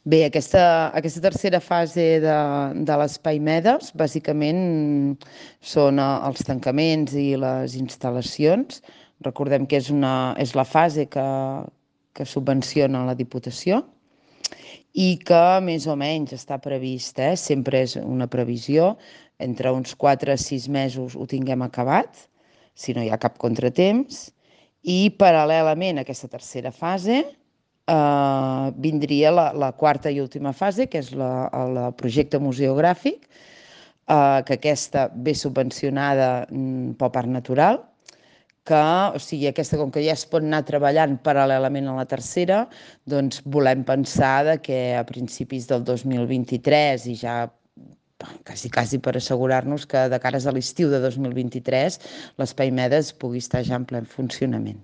Bé, aquesta tercera fase de l'Espai Medes, bàsicament són els tancaments i les instal·lacions. Recordem que és la fase que subvenciona la Diputació i que més o menys està previst, sempre és una previsió, entre uns 4 a 6 mesos ho tinguem acabat, si no hi ha cap contratemps, i paral·lelament a aquesta tercera fase vindria la quarta i última fase, que és el projecte museogràfic, que aquesta ve subvencionada pel Parc Natural, que, o sigui, aquesta, com que ja es pot anar treballant paral·lelament a la tercera, doncs volem pensar que a principis del 2023 i ja quasi per assegurar-nos que de cares a l'estiu de 2023 l'Espai Medes pugui estar ja en ple funcionament.